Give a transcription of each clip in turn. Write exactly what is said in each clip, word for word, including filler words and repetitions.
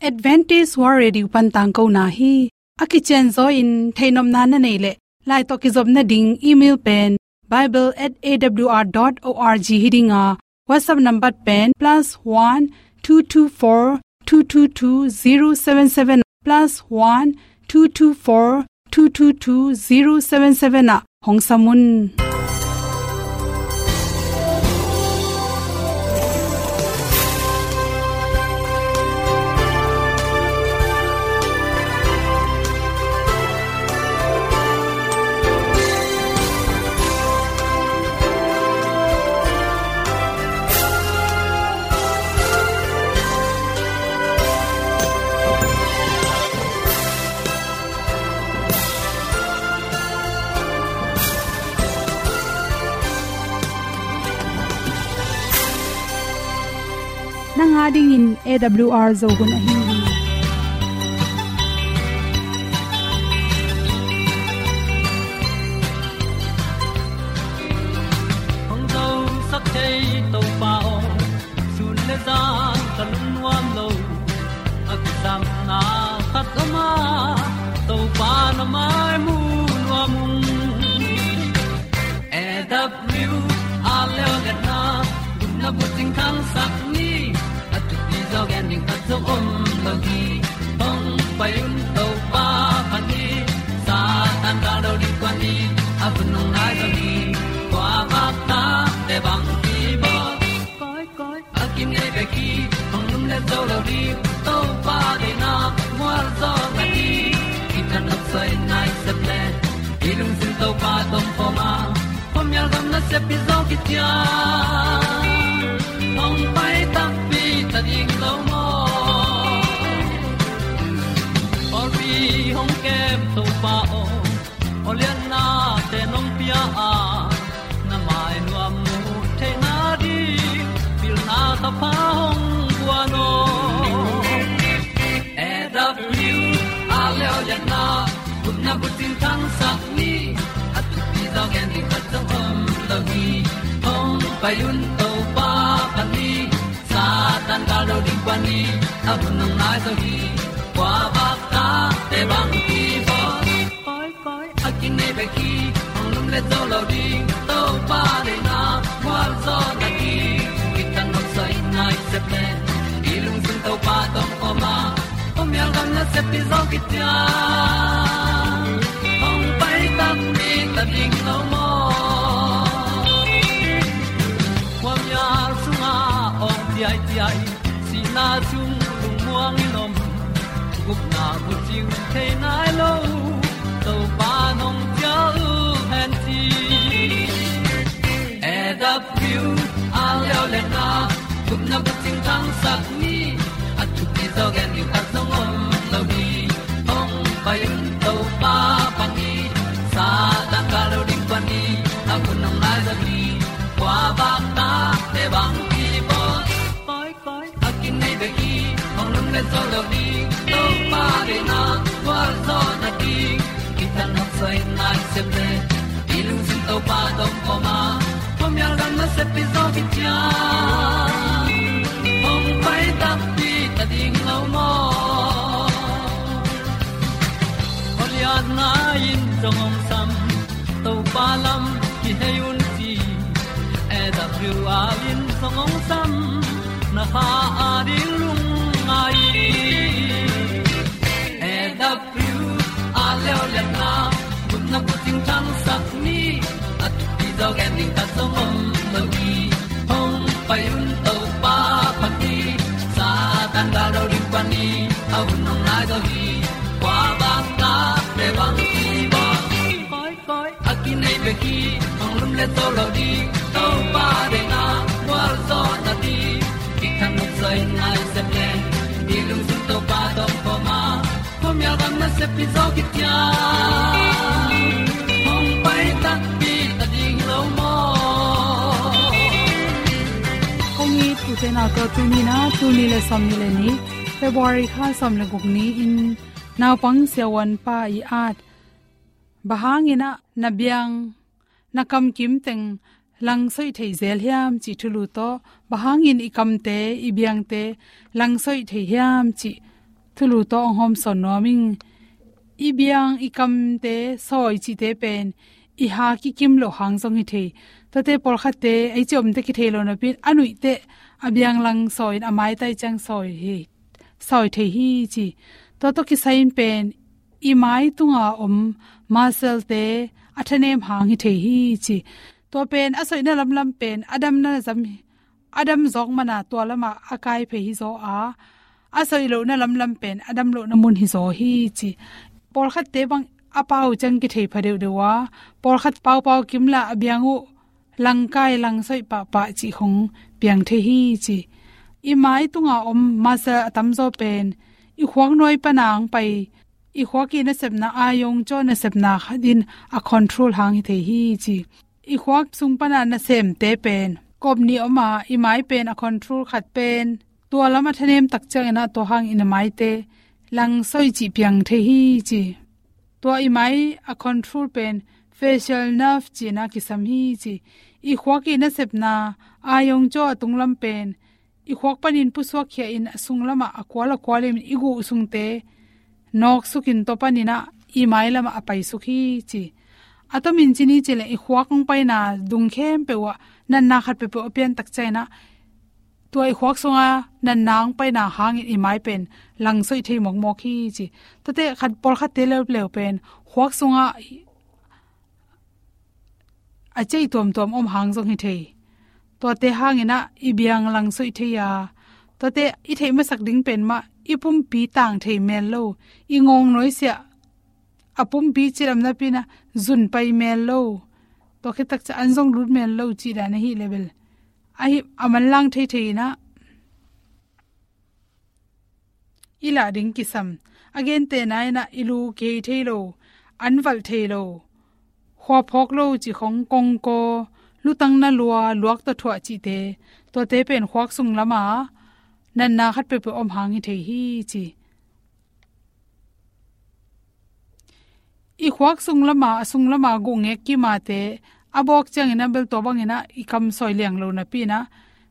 Adventist World Radio pan tangkona hi. A kicianzaw in theihnopna na neih leh, lai tawh kizopna ding email pen bible at A W R dot org hi ding a, WhatsApp number pen plus one two two four two two two zero seven seven, plus one two two four two two two zero seven seven ah hong sam un. Nang a dingin A W R Zo hun ahi hi. Hong zosak thei Topa aw, sun le zan ka lungnuam lo. A kisapna khat om a, Topa na mai mu nuam ung. A W R Leo Liatna, gupna bucing thangsak ni, a thupi zaw gen ding khat zong om lo hi. Hong pai un Topa phat ni, Satan gal do ding kuan ni, a hun hong nai zo hi. Kua vak ta te bang hi bawl. Koi, koi, a kinei bek hi, hong lum le zo lo ding, Topa deihna mual zaw na hi. Kithat nopsai nai sep le, i lungsim Topa tawh om khawm a, khuamial gam nasep hi zaw kician. Hong pai takpi ta ding lo maw? Pawlpi hong kem Topa aw, aw liatnate nong pia a, na mai nuam mu theihna ding pilna thapha hong guan aw. A W R Leo Liatna, gupna bucing thangsak ni, a thupi zaw gen ding khat zong om lo hi. Hong pai un Topa phat ni, Satan gal do ding kuan ni, a hun hong nai zo hi. Kua vak ta te bang hi bawl. Koi, koi, a kinei bek hi, hong lum le zo lo ding, Topa deihna mual zaw na hi. Kithat nopsai nai sep le, i lungsim Topa tawh om khawm a, khuamial gam nasep hi zaw kician. Hong pai takpi ta ding lo maw? Khuamial sungah awng ciaiciai, sihna sung lungmuang in om, gupna bucing thei nai lo, Topa nong cial hen ci. A W R Leo Liatna, gupna bucing thangsak ni, a thupi zaw gen ding khat zong om lo hi. Hong pai un Topa phat ni, Satan gal do ding kuan ni, a hun hong nai zo hi. Kua vak ta te bang hi bawl. Koi, koi, a kinei bek hi, hong lum le zo lo ding, Topa deihna mual zaw na hi. Kithat nopsai nai sep le, i lungsim Topa tawh om khawm a, khuamial gam nasep hi zaw kician. Hong pai takpi ta ding lo maw? Aw liatna in zong hong sam, Topa lam kihei un ci. A W R in zong hong sam, na kha a ding lungngai. A W R Leo Liatna, gupna bucing thangsak ni, a thupi zaw gen ding khat zong om lo hi. Hong pai un Topa phat ni, Satan gal do ding kuan ni, a hun hong nai zo hi. Kua vak ta te bang hi bawl. Koi, koi, a kinei bek hi, hong lum le zo lo ding, Topa deihna mual zaw na hi. Kithat nopsai nai sep le, i lungsim Topa tawh om khawm a, khuamial gam nasep hi zaw kician. Hong pai takpi ta ding lo maw? Kong it u te nau tawh tuni na, tul nih le sawmnih le nih, February kha sawm le guk ni-in, naupang siavuanpa i at, bang hangin ah na biang, na kamkim teng langsoih thei zel hiam cih thulu tawh, bang hangin i kamte, i biangte langsoih thei hiam cih tulu tawh hong hawmsawn nuam ing. I biang i kamte sawi cihte pen i ha kikim loh hang zong hi thei. Tuate pawlkhatte ei ci omte kithei lo napi-in a nuihte a biang lang sawi in a maitai ciang sawi hi, sawi thei hi ci. Tua tawh kisai-in pen i mai tunga om muscle-te a thanem hang hi thei hi ci. Tua pen a sawihna lamlam pen a damna zam, a dam zawk mana tua lamah a kai phei hi zaw a, a sawih lohna lamlam pen a dam lohna mun hi zaw hi ci. Pawlkhatte bang a pau ciang kithei pha deuhdeuh a, pawlkhat paupau kimla a biang uh langkai langsawih pahpah cih khong piang thei hi ci. I mai tunga om muscle a tamzaw pen i khuak nuai pana hong pai, i khuak i nasepna, a yongcaw nasepna khatin a control hang hi thei hi ci. I khuak sung pana nasemte pen kawp nih om a, i mai pen a control khat pen tua lam a thanem tak ciangin ah tua hangin a maite langsawih cih piang thei hi ci. Tua i mai a control pen facial nerve ci-in ah kisam hi ci. I khuak i nasepna, a yongcaw a tunglam pen i khuak panin pusuak khia in a sung lamah a kual a kual in i guh sungte nawksukin tua panin ah i mai lamah a paisuk hi ci. A tomin ci ni ci leh i khuak hong paina dung khempeuh ah natna khat peuhpeuh a pian tak ciangin ah tua i khuak sunga natna hong paina hangin i mai pen langsawih thei mawkmawk hi ci. Tuate khat pawlkhatte leuleu pen khuak sungah a ceih tuamtuam om hang zong hi thei. Tuate hangin ah i biang langsawih thei a, tuate i theih masak ding pen mah i pumpi tang thei mel lo, i ngawng nuaisiah a pumpi cilam napi-in ah zun pai mel lo, tua khit tak ciang an zong lut mel lo cih dan ahi leh bel ahi a manlang thei thei in ah i lah ding kisam. A gentehna in ah i lu kihei thei lo, an valh thei lo, khua phawk lo cih khong, kongkaw, lutang na lua, luak tawh thuah cihte, tuate pen khuak sung lama natna khat peuhpeuh om hang hi thei hi ci. I khuak sung lama, a sung lama guh ngek kimate a bawk ciangin ah bel tua bangin ah i kam sawi liang lo napi-in ah,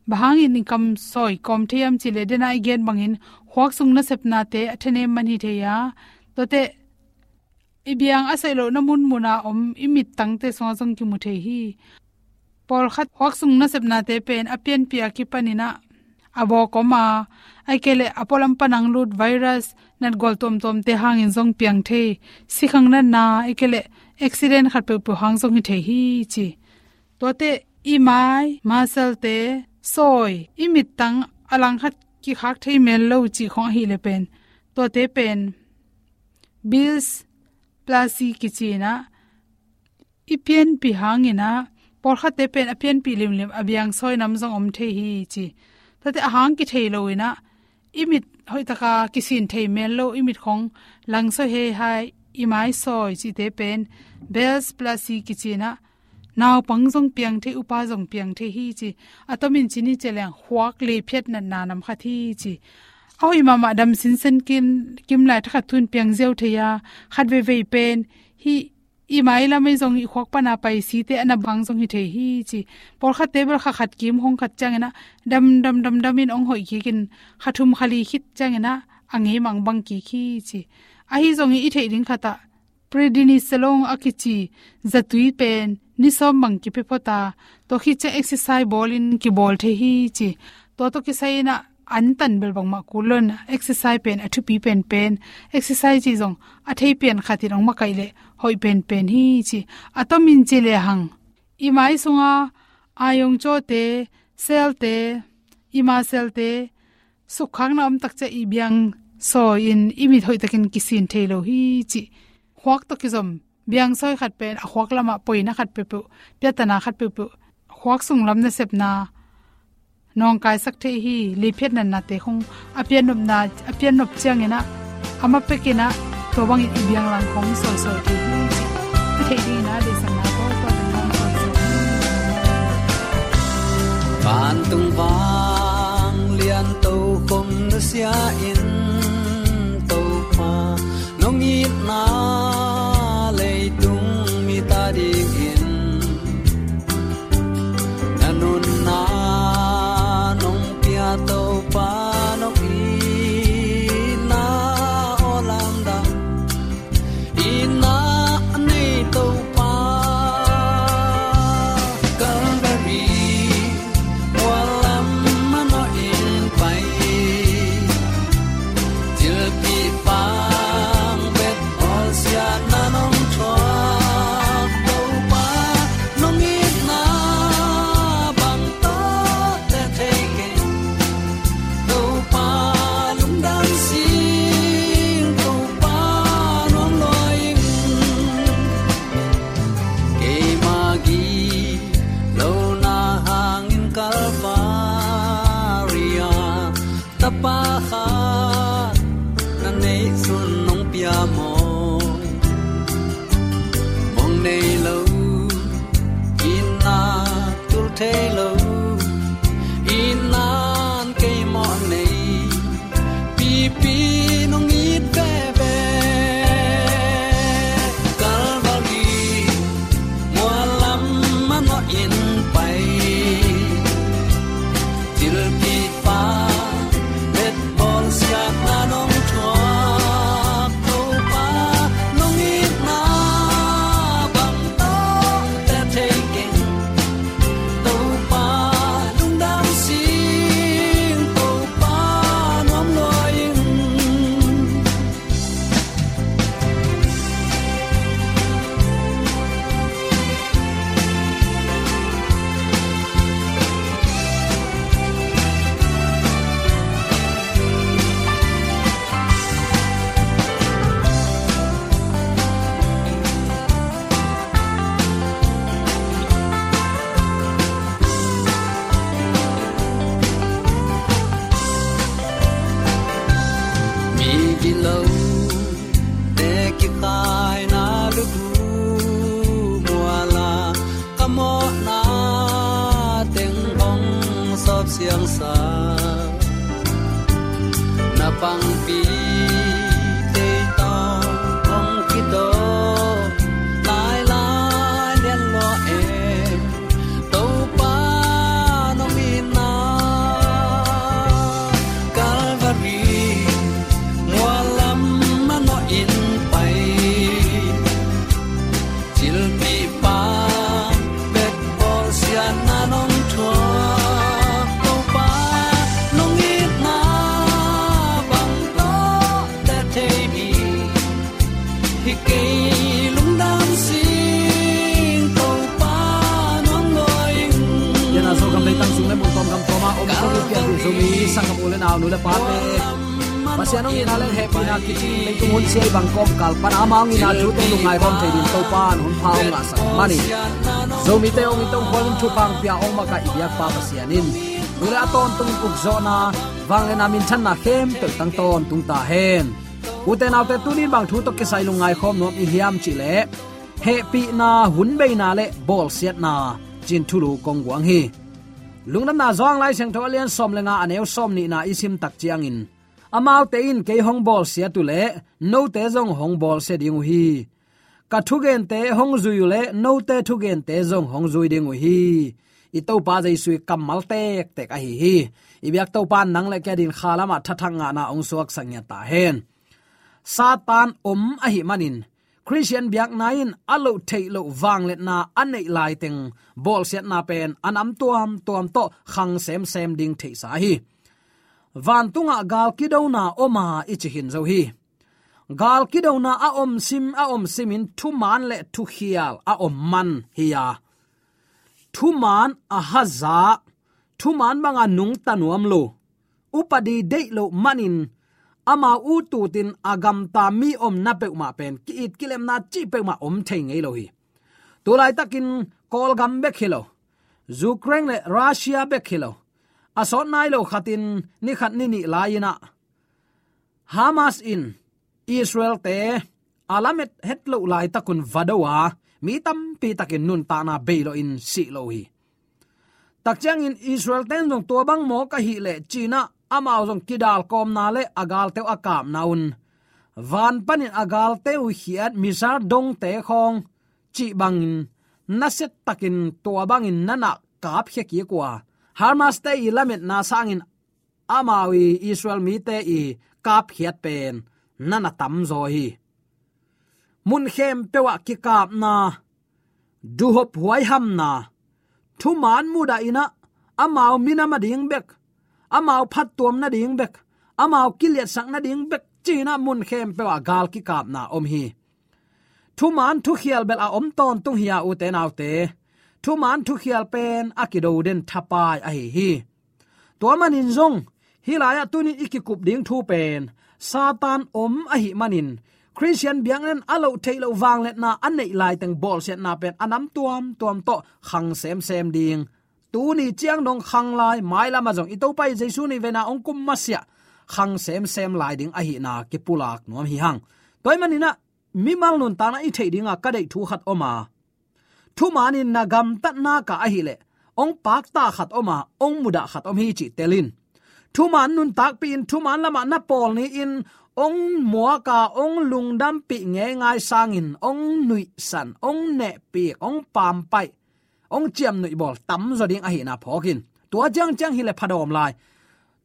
bang hangin i kam sawi kawm thei hiam cih leh, den ah i gen bangin khuak sung nasepnate a thanem man hi thei a, tuate i biang a sawih lohna munmuna om i mittangte sungah zong kimu thei hi. Pawlkhat khuak sung nasepnate pen a pianpih a kipanin ah a bawk om a, ahih kei leh a pualam pan hong lut virus, natgual tuamtuamte hangin zong piang thei, sikhang natna, ahih kei leh accident khat peuhpeuh hang zong hi thei hi ci. Tuate i mai muscle-te sawi, i mittang a langkhat kikhak thei mel lo cih khong ahih leh pen tuate pen Bell's palsy kici-in ah i pianpih hangin ah, pawlkhatte pen a pianpih limlim a biang sawi nam zong om thei hi ci. Tuate a hang kithei lo-in ah i mit hoihtaka kisin thei mel lo, i mit khong langsawih heihai, i mai sawi cihte pen Bell's palsy kici-in ah naupang zong piang thei, upa zong piang thei hi ci. A tomin ci ni ci leng khuak liphiat natna nam khat hi ci. A hoih mahmah dam sinsen kim, kim lai thakhat thu-in piang ziau thei a, khat veivei pen hih i mai lam ei zong i khuak pana pai site a na bang zong hi thei hi ci. Pawlkhatte bel kha khat kim hong khat ciangin ah dam dam dam dam in hong hoih kikin kha thum kha li khit ciangin ah a ngei mangbang kik hi ci. Ahi zongin i theih ding khat ah prednisolone a kici zatui pen ni sawm bang kipia phot a, tua khit ciang exercise bawlin kibawl thei hi ci. Tua tawh kisai-in ah an tan bel bangmah kul lo-in, exercise pen a thupi penpen, exercise cih zong a thei pian khatin hong makaih leh hoih penpen hi ci. A tomin ci lehang i mai sunga a yongcawte, cell-te, i muscle-te sukkhakna om tak ciang i biang sawi-in i mit hoihtakin kisin thei lo hi ci. Khuak tawh kizom biang sawi khat pen a khuak lamah poina khat peuhpeuh, piatana khat peuhpeuh, khuak sunglam nasepna nawngkaisak thei hi. Liphiat natnate khong a piannopna, a piannop ciangin ah a ma pekin ah tua bangin i biang lang khong sawisawi thei hi ci. I theih dingin ah deihsakna tawh tua teng hong sawisawi hi. Vantung vanglian tokhom nusia in, Topa, nong itna leitung mite adingin na nunna nong pia, Topa, nong itna Kilote kikhaina lubu muala, ka mawhna teng hong sawp siangsa. Na pangpi tei tawh hong kidawk lailai lian lua e. Topa nong itna Calvary mualam a nawh in pai. Cilpihpa bek bawlsiatna nong thuak Topa nong itna bang tawh te thei mi. Hi kei lungdam sing Topa nong dawi in. Yana Zogam leitang sung le mun tawm gam tawm a om Zomi pianpih Zomi sanggam u le nau nu le pate, Pasian hong itna le hehpihna kicing leitung hun sia i bang kawmkal pan amau hong itna thu tawh lungngai bawm thei dingin Topa in hun pha hong ngahsak manin Zomite hong it hong khual in thupha hong pia hong makaih i biakpa Pasian in nu le a tawntung ukzawhna, vangliatna, minthanna khempeuh tang tawntung ta hen. Ute naute, tuni in bang thu tawh kisai lungngai khawm nuam i hiam cih leh, hehpihna, hunbeina le bawlsiatna ci-in thulu kong guang hi. Lungdamna Johan Lai Siangtho a lian sawm le nga, a neu sawm nihna i sim tak ciangin, amaute in kei hong bawlsiat uh leh note zong hong bawlsia ding uh hi. Ka thugente hong zui uh leh note thugente zong hong zui ding uh hi. I Topa Jesu i kammal tektek ahi hi. I biak Topa in nang le kei adingin kha lamah thathak ngahna hong suaksak ngiat ta hen. Satan om ahih manin Khristian biakna in a loh theih loh vangliatna a neih laiteng bawlsiatna pen a nam tuamtuam tawh khang semsem ding theihsa hi. Vantungah gal kidona om a i ci khin zo hi. Gal kidona a om sim, a om simin thuman le thukhial a om man hi a, thuman a haza, thuman banga nungta nuam lo, upadi deih loh manin amau ut utin a gamta mi omna peuhmah pen ki-it kilemna cih peuhmah om thei ngei lo hi. Tulaitakin Kawlgam bek hi lo, Ukraine le Russia bek hi lo, a sawt nai lo khatin ni khat ni nih lai-in ah Hamas in Israel-te a lamet het loh laitakun va do a, mi tampi takin nuntakna bei lawhin sih lo hi. Tak ciangin Israel-te in zong tua bang mawk ahih leh ci-in ah amau zong kidalkawmna le a galte uh a kapna un, van panin a galte uh khiat missile dongte khawng cih bangin nasia takin tua bangin na na kapkhia kik uh a, Hamas-te i lametna sangin amau i Israel mite i kapkhiat pen na na tamzaw hi. Mun khempeuh ah kikapna, duhop huaihamna, thuman mudahin ah amau minam a ding bek, amau phattuam nading bek, amau kiliatsak nading bek ci-in ah mun khempeuh ah gal kikapna om hi. Thuman thukhial bel a om tawntung hi a, ute naute, thuman thukhial pen a kido den thapai ahi hi. Tua manin zong hih lai-ah tunin i kikup ding thu pen Satan om ahih manin Khristian biakna in a loh theih loh vangliatna a neih laiteng bawlsiatna pen a nam tuamtuam tawh khang semsem ding, tuni ciang dong khang lai, mailamah zong i Topa i Jesu nihveina hong kum masiah khang semsem lai ding ahihna kipulak nuam hi hang. Tua ahih manin ah mimal nuntakna i theih dinga ka deih thu khat om a, thuman in na gamtatna ka ahih leh hong pakta khat om a, hong mudah khat om hi cih tel in. Thuman nuntakpih in, thuman lamah na pawl ni-in hong muak a, hong lungdampih ngeingai sangin hong nuihsan, hong nehpik, hong pampaih, hong ciamnuih bawl tamzaw ding ahihna phawk in. Tua ciangciang hi leh phadawm lai.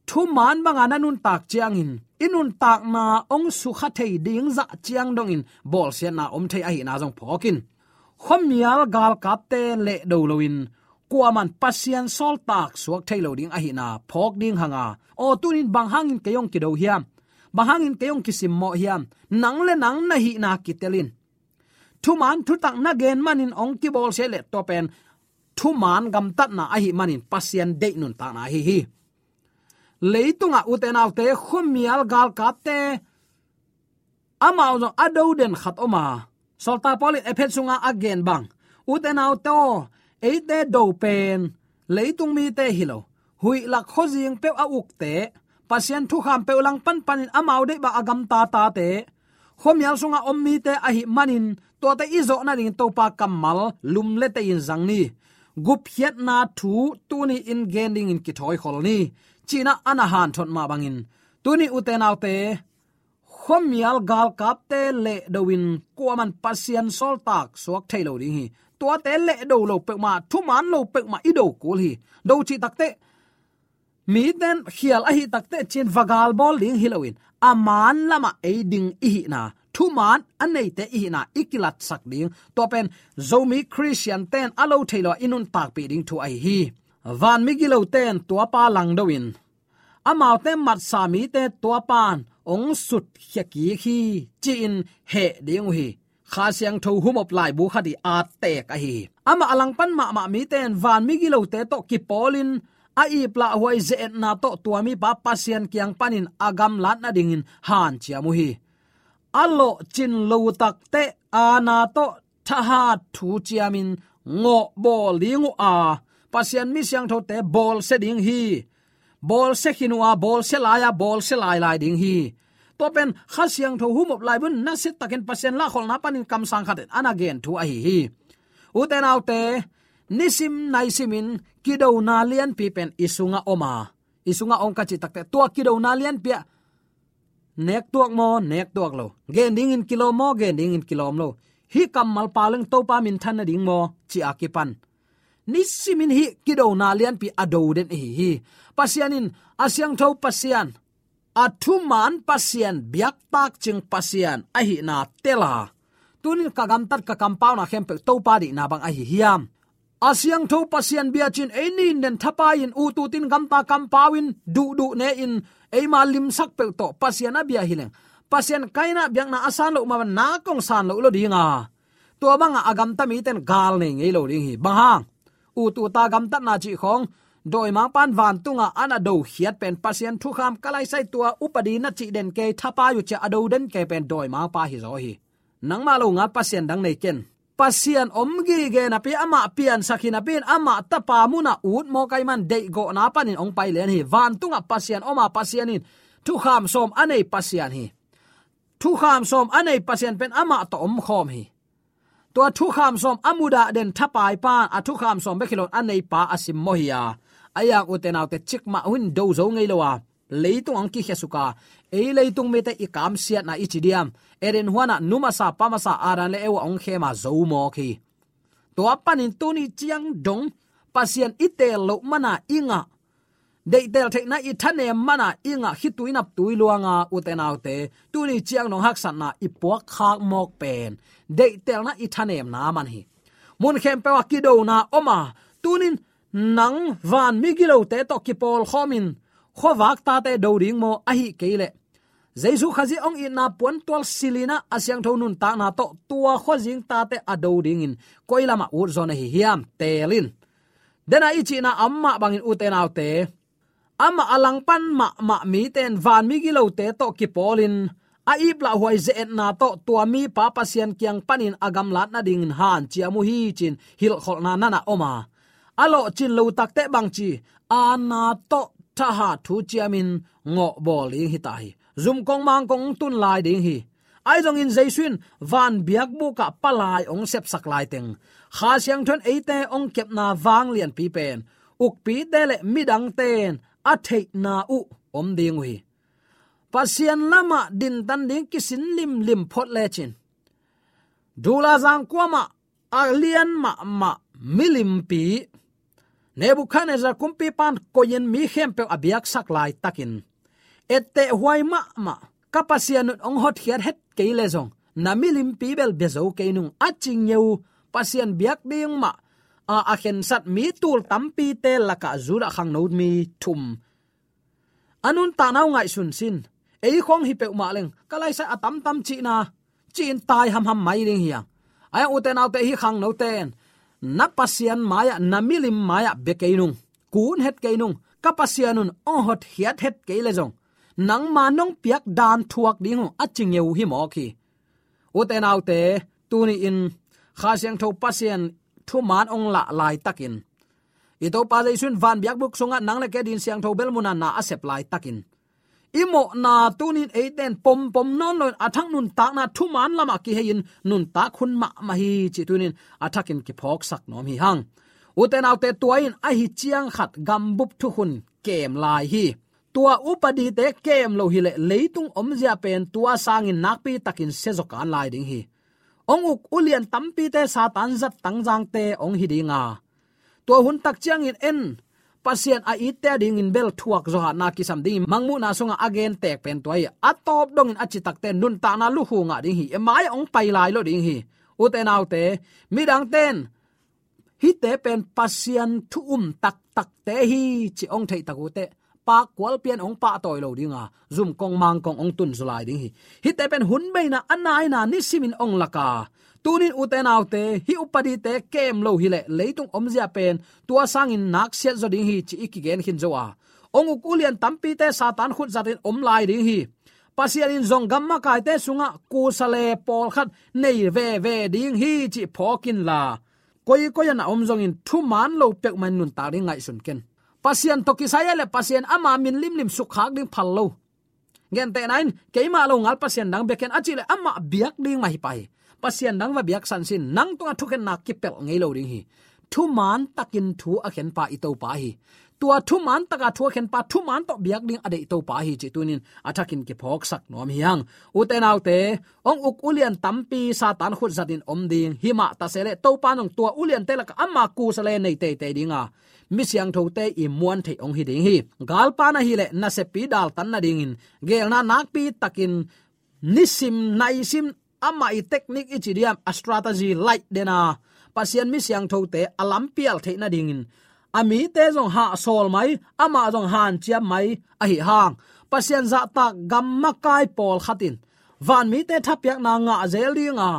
Thuman banga na nuntak ciangin i nuntakna hong sukha thei ding zah ciang dongin bawlsiatna om thei ahihna zong phawk in. Khuamial galkapte lehdo loin kuaman Pasian sawltak suak thei lo ding ahihna phawk ding hang a, aw, tunin bang hangin kei hong kido hiam? Bang hangin kei hong kisimmawh hiam? Nang le nang na hihna kitel in. Thuman thutak na gen manin hong kibawlsia leh tua pen thuman gamtatna ahih manin Pasian deih nuntakna ahi hi. Leitungah ute naute, khuamial galkapte amau zong a do den khat om a, sawltak Paul in Efesa sunga a gen bang, ute naute aw, eite do pen leitung mite hi lo, huih lak khuazing peuh a ukte, Pasian thukham peuh langpan panin amau deih bang a gamta tate, khuamial sungah om mite ahih manin tuate i zawh nadingin Topa kammal lumlete in zang ni. Gupkhiatna thu tuni-in gen dingin kithawikhol ni, ci-in ah a na hanthot mah bangin, tuni ute naute, khuamial galkapte lehdo in kuaman Pasian sawltak suak thei lo ding hi. Tuate lehdo lo peuhmah, thuman lo peuhmah i do kul hi. Do cih takteh, miten khial ahih takteh ci-in va galbawl ding hi loin, a man lamah ei ding i hihna, thuman a neite i hihna i kilatsak ding, tua pen Zomi Khristiante'n a lo thei lo i nuntakpih ding thu ahi hi. Vanmi gilote'n tuapa langdo in, amaute matsa mite tuapa'n hong sutkhia kik hi, ci-in heh ding uh hi. Kha Siangtho humop laibu khat i attek ahi hi. Amah a langpan mahmah mite'n vanmi gilote tawh kipawlin a iplahhuai ze-etna tawh tua mipa Pasian kiang panin a gamlat nadingin hanciam uh hi. A lawhcin lo takteh aana tawh thahat thu ciamin ngawhbawl ding uh a, Pasian mi siangthote bawlsia ding hi. Bawlsia khin uh a, bawlsia lai a, bawlsia lailai ding hi. Tua pen Kha Siangtho humop laibun nasiatakin Pasian lahkholhna panin kamsang khat in a na gen thu ahi hi. Ute naute, nisim naisimin kidona lianpi pen i sungah om a, i sungah om ka cih takteh, tua kidona lianpi ah nektuak maw, nektuak lo, gen dingin kilawm maw, gen dingin kilawm lo, hih kammal pau leng Topa minthan nading maw, ci-a kipan nisimin hih kidona lianpi a do den ahi hi. Pasian in a siangtho Pasian, a thuman Pasian, biaktak cing Pasian ahihna tel a, tunin ka gamtat ka kampauna khempeuh Topa deihna bang ahi hiam? A siangtho Pasian bia ci-in ei nin den thapai-in, ut ut in, gamta kampau in, duhduh ne-in, eima limsak peuh tawh Pasian a bia hi leng, Pasian kaina biakna a san loh mah bang nak hong san loh lo ding a, tua bangah a gamta mite'n gal nei ngei lo ding hi. Bang hang? Ut ut a gamtatna cih khawng, dawimangpa'n vantungah a na dokhiat pen Pasian thukham, ka laisai tua upadi na cih den kei, thapai uh ci-a a do den kei pen dawimangpa hi zaw hi. Nangmah lo ngal pasian dang nei ken. Pasian om gige napi, amah piansak hi napi-in, amah tapa munah ut mawk ahih man deihgawhna panin hong pai lian hi. Vantungah Pasian om a, Pasian in thukham sawm a nei Pasian hi. Thukham sawm a nei Pasian pen amah tawh omkhawm hi. Tua thukham sawm a mudah den thapai pa'n a thukham sawm bek hi loin a neipa a simmawh hi a, a iang ute naute, cikmah hun do zo ngei lo a, leitung hong kikhiasuk a, ei leitung mite i kamsiatna i ci diam, Eden huanah nu masa pa masa Adam le Eva hong khem a zo mawk hi. Tua panin tuni ciang dong Pasian i teel loh mana i ngah, deihtel theihna i thanem mana i ngah khitui naptui luanga, ute naute, tuni ciang dong haksatna i puakkhak mawk pen deihtelna i thanemna man hi. Mun khempeuh ah kidona om a, tunin nang vanmi gilote tawh kipawlkhawmin khuavak tate do ding maw, ahih kei leh Jesu Khazih hong itna puantual silin ah a siangtho nuntakna tawh tua khuazing tate a do dingin koi lamah ut zaw na hi hiam, teel in. Dena i cihna a om mah bangin, ute naute, amah a langpan mahmah mite'n vanmi gilote tawh kipawlin a iplahhuai ze-etna tawh tua mipa Pasian kiang panin a gamlat nadingin hanciam uh hi, ci-in hilhkholhna na na om a, a lawhcin lo takteh bangci, aana tawh thahat thu ciamin ngawhbawl ding hi ta hi. Zumkong mangkong tun lai ding hi. Ahi zongin Jesu in van biakbuk ah palai hong sepsak laiteng, Kha Siangtho in eite hong kepna vanglianpi pen ukpite le midangte'n a theihna uh om ding uh hi. Pasian lamah dintan ding kisin limlim phot lecin, dula zangkuamah a lian mahmah milimpi Nebukhadnezzar kumpipa'n koihin mi khempeuh a biaksak laitakin, etteh huai mahmah, ka Pasian un hong hotkhiat het kei leh zong, na milimpi bel bia zo kei nung, a ci ngeu Pasian biak ding mah a, a khensat mi tul tampite lakah Judah khangno mi thum a nuntakna uh ngaihsun sin. Ei khawng hi peuhmah leng, ka laisai a tamtam cihna, ci-in tai hamham mai ding hi hang. Ahi hang, ute naute, hih khangnote'n na Pasian mai-ah, na milim mai-ah bia kei nung, kun het kei nung, ka Pasian un hong hotkhiat het kei leh zong, nangma nong piak dan thuak ding uh, a ci ngeu hi mawk hi. Ute naute, tuni-in Kha Siangtho Pasian thuman hong lah laitakin, i Topa Jesu in van biakbuk sungah nang le kei adingin siangtho bel mun ah na a sep laitakin, i mawhna tunin eite in pompom nawn loin a thak nuntakna thuman lamah kihei-in nuntak hun mahmah hi cih tunin a thakin kiphawksak nuam hi hang. Ute naute, tua in ahi ciang khat gambup thukhun kem lai hi. Tua upadite kem lo hileh leitung omzia pen tua sangin nakpi takin siazaw kan lai ding hi. Hong uk ulian tampite Satan zat tangzangte hong hi ding a, tua hun tak ciangin en Pasian a itte a dingin bel thuak zawhahna kisam dingin Mangmuhna sungah a gen tek pen tua hi. A tawp dongin a citakte nuntakna lukhu ngah ding hi. Mai hong pai lai lo ding hi. Ute naute, midangte in hihte pen Pasian thu um taktakte hi ci hong theih tak uh teh, pakkual pian hong pahtawi lo ding a, zum kong mang kong hong tun zaw lai ding hi. Hihte pen hun beina a naina nisimin hong lak a, tunin ute naute, hih upadite kem lo hileh leitung omzia pen tua sangin nak siat zaw ding hi ci i kigen khin zo a, hong uk ulian tampite Satan khut zatin om lai ding hi. Pasian in zong gam makaite sungah kusa le pawlkhat nei veve ding hi cih phawk inla, koikoi ah na om zongin thuman lo peuhmah in nuntak ding ngaihsun ken. Pasian tawh kisai a leh Pasian ama min limlim sukkhak ding phal lo. Gentehna in, keimah lo ngal pasian dang bia ken a cih leh amah biak ding mah hi pah hi. Pasian dang va biak san sin, nang tungah thukhenna kipelh ngei lo ding hi. Thuman takin thu a khenpa i Topa hi. Tua thuman taka thu a khenpa, thuman tawh biak ding a deih Topa hi cih tunin a thakin kiphawksak nuam hi hang. Ute naute, hong uk ulian tampi Satan khut zatin om ding hi mah ta se leh, Topa in hong tua uliante lakah ama kusa le nei teitei ding a, mi siangthote i muan theih hong hi ding hi. Galpa na hileh nasepi daltan nadingin geelna nakpi takin nisim naisim amah i teknik i ci diam, a strategy laih den a, Pasian mi siangthote a lampial theih nadingin a mite zong hahsawl mai, amah zong hanciam mai ahi hang, Pasian zahtak gam makai pawlkhat in vanmite thapiakna ngah zel ding a,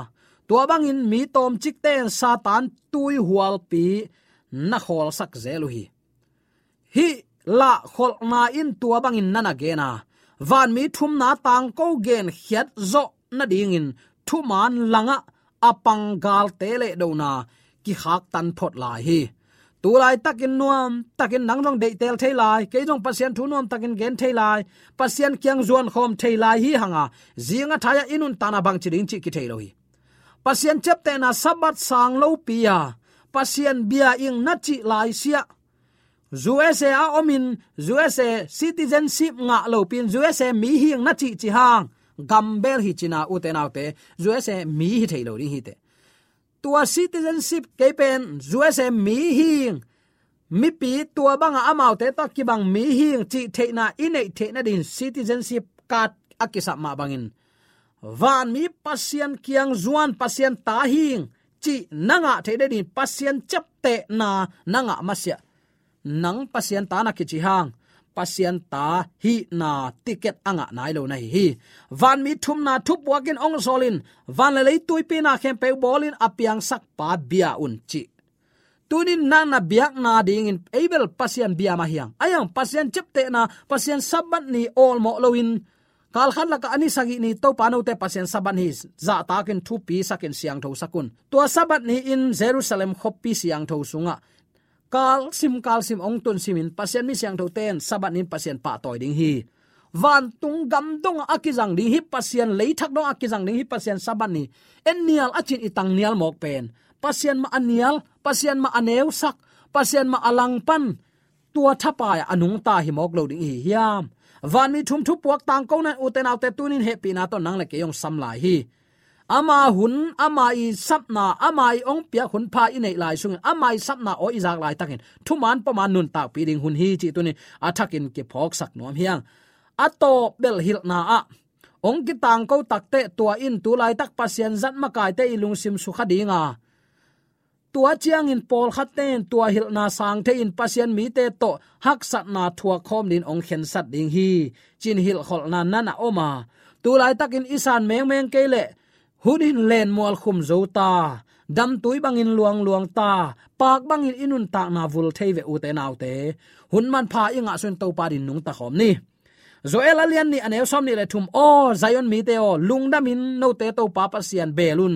tua bangin mi tawmcikte in Satan tuihualpi na khawlsak zel uh hi. Hih lahkholhna in tua bangin na na gen a, vanmi thumna tangko genkhiat zawh nadingin thuman langah a pang galte lehdona kikhaktan phot lai hi. Tulaitakin nuamtakin nang zong deihtel thei lai, kei zong Pasian thu nuamtakin gen thei lai, Pasian kiang zuankhawm thei lai hi hang a, zing a thai-ah i nuntakna bangci ding cih kithei lo hi. Pasian ciaptehna Sabbath sang lopi a, Pasian bia ing na cih lai siah, U S A a omin U S A citizenship ngah lopi in U S A mi hing na cihcih hang, gambel hi cin a, ute naute, U S A mi hi thei lo ding hi teh. Tua citizenship kei pen U S A mi hing, mipi tua banga amaute tawh kibang mi hing cih theihna i neih theih nadin citizenship card a kisap mah bangin, vanmi Pasian kiang zuan Pasian ta hing cih na ngah theih nadin Pasian ciaptehna na ngah masiah, nang Pasian ta na kici hang, Pasian ta hihna ticket a ngah nai lo na hi hi. Vanmi thumna thupuak in hong sawlin, van le lei tuipi na khempeuh bawlin a piangsakpa bia un cih. Tunin nang na biakna dingin ei bel Pasian bia mah hi hang. Ahi hang Pasian ciaptehna, Pasian Sabbath ni awlmawh loin, kalkhat lakah a ni sagih ni Topa note Pasian Sabbath ni zahtakin thupisakin siangthosak un. Tua Sabbath ni-in Jerusalem khuapi siangtho sungah kalsim kalsim hong tunsimin Pasian mi siangthote in Sabbath ni-in Pasian pahtawi ding hi. Vantung gam dongah a kizang ding hi Pasian, leithak dongah a kizang ding hi Pasian Sabbath ni. En nial a cin i tang nial mawk pen, Pasian mah a nial, Pasian mah a neusak, Pasian mah a langpan, tua thapai-ah a nungta hi mawk lo ding i hi hiam? Vanmi thum thupuak tangko nan, ute naute, tunin hehpihna tawh nang le kei hong sam lai hi. Ama hun, ama i sapna, ama i hong piak hun pha i neih lai sungin, ama i sapna aw i zak laitakin thuman poma nuntakpih ding hun hi cih tunin a thakin kiphawksak nuam hi hang. A tawp bel hilhna ah hong kitangko takteh, tua in tulaitak Pasian zat makaite i lungsim sukha ding a, tua ciangin pawlkhatte in tua hilhna sang thei-in Pasian mite tawh haksatna thuak khawm dingin hong khensat ding hi, ci-in hilhkholhna na na om a, tulaitakin i san mengmeng kei leh hun in lenmual khum zo ta, damtui bangin luangluang ta, paak bangin i nuntakna vul thei ve, ute naute. Hun manpha i ngah sungin Topa adingin nungta khawm ni. Joel a lian nih, a neu sawm nih le thum. Aw Zion mite aw, lungdamin note Topa Pasian bel un.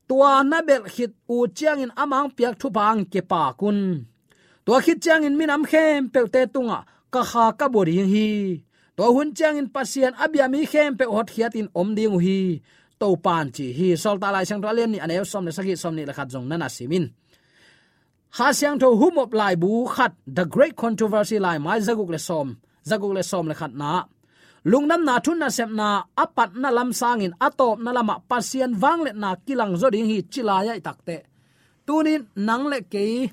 Tua na belh khit uh ciangin amah hong piak thupha hang kipak un. Tua khit ciangin minam khempeuhte tungah ka kha ka bua ding hi. Tua hun ciangin Pasian a bia mi khempeuh hotkhiatin om ding uh hi, Topan ci hi. Sawltak Lai Siangtho a lian nih, a neu sawm le sagih, sawm nih le khat zong na na sim in. Kha Siangtho humop laibu khat, The Great Controversy, laimai zaguk le sawm, zaguk le sawm le khatna, lungdamna thu nasepna a patna lam sangin a tawpna lamah Pasian vangliatna kilang zaw ding hi, ci lai-ah i takteh, tunin nang le kei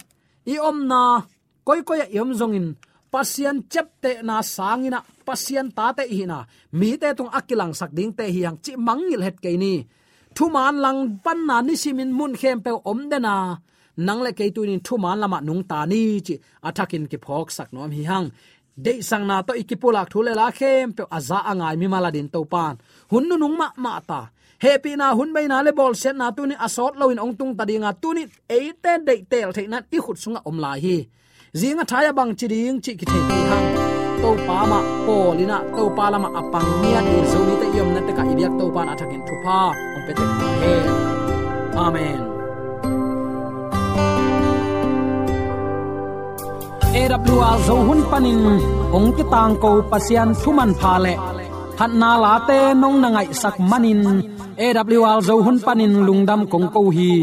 i omna, koikoi ah i om zongin, Pasian ciaptehna sangin ah, Pasian tate i hihna mite tungah a kilangsak dingte hi hang cih mangngilh het kei ni. Thuman langpanna nisimin mun khempeuh om den a, nang le kei tunin thuman lamah nungta ni cih a thakin kiphawksak nuam hi hang. Deihsakna tawh i kipulak thu le la khempeuh a za a ngai mimal adingin Topan hun nunung mahmah ta, hehpihna hun beina le bawlsiatna tunin a sawt loin hong tungta ding a, tunin eite deihtel theihna in i khut sungah om lai hi. Zing a thai-ah bang ci ding cih kithei kei hang. Topa mah pawl in ah, Topa lamah a pang ngiat ding Zomite i omna tekah i biak Topan a thakin thupha hong pia tek ta hen. Amen. A W R Zo hun panin hong kitangko Pasian thu manpha le phatna late nong na ngaihsak manin, A W R Zo hun panin lungdam kong ko hi.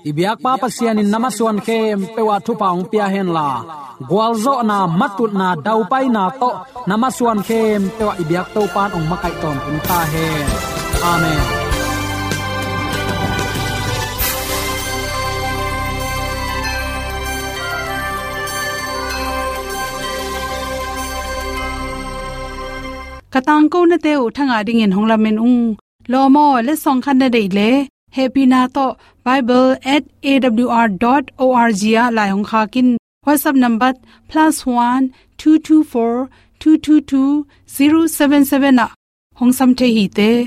I biakpa Pasian in na masuan khempeuh ah thupha hong pia henla, gualzawhna, matutna, daupaina tawh na masuan khempeuh ah i biak Topan hong makaih tawntung ta hen. Amen. Ka tangkonate uh thangah dingin hong lamen ung. Lawm aw, letsong khat na deih leh, hehpihna tawh bible at A W R dot O R G ah lai hong khak in. WhatsApp number plus one two two four two two two zero seven seven ah hong sam thei hi te.